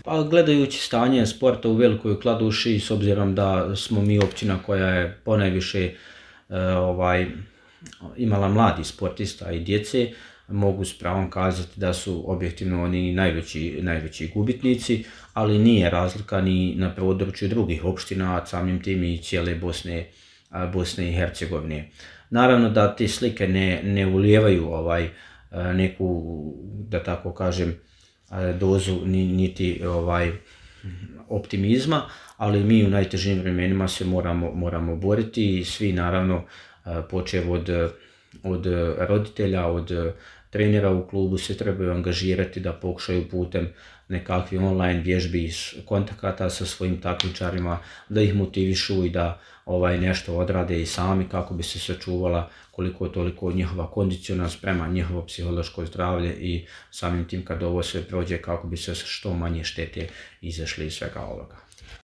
Pa gledajući stanje sporta u Velikoj Kladuši, s obzirom da smo mi općina koja je ponajviše imala mladih sportista i djece, mogu s pravom kazati da su objektivno oni najveći gubitnici, ali nije razlika ni na području drugih opština, a samim tim i cijele Bosne i Hercegovine. Naravno da te slike ne ulijevaju neku, da tako kažem, dozu niti optimizma, ali mi u najtežim vremenima se moramo boriti i svi naravno počev od roditelja, od trenera u klubu se trebaju angažirati da pokušaju putem nekakvih online vježbi, kontakata sa svojim takmičarima, da ih motivišu i da nešto odrade i sami kako bi se sačuvala koliko toliko njihova kondiciona sprema, njihovo psihološko zdravlje i samim tim kad ovo sve prođe kako bi se što manje štete izašli iz svega ovoga.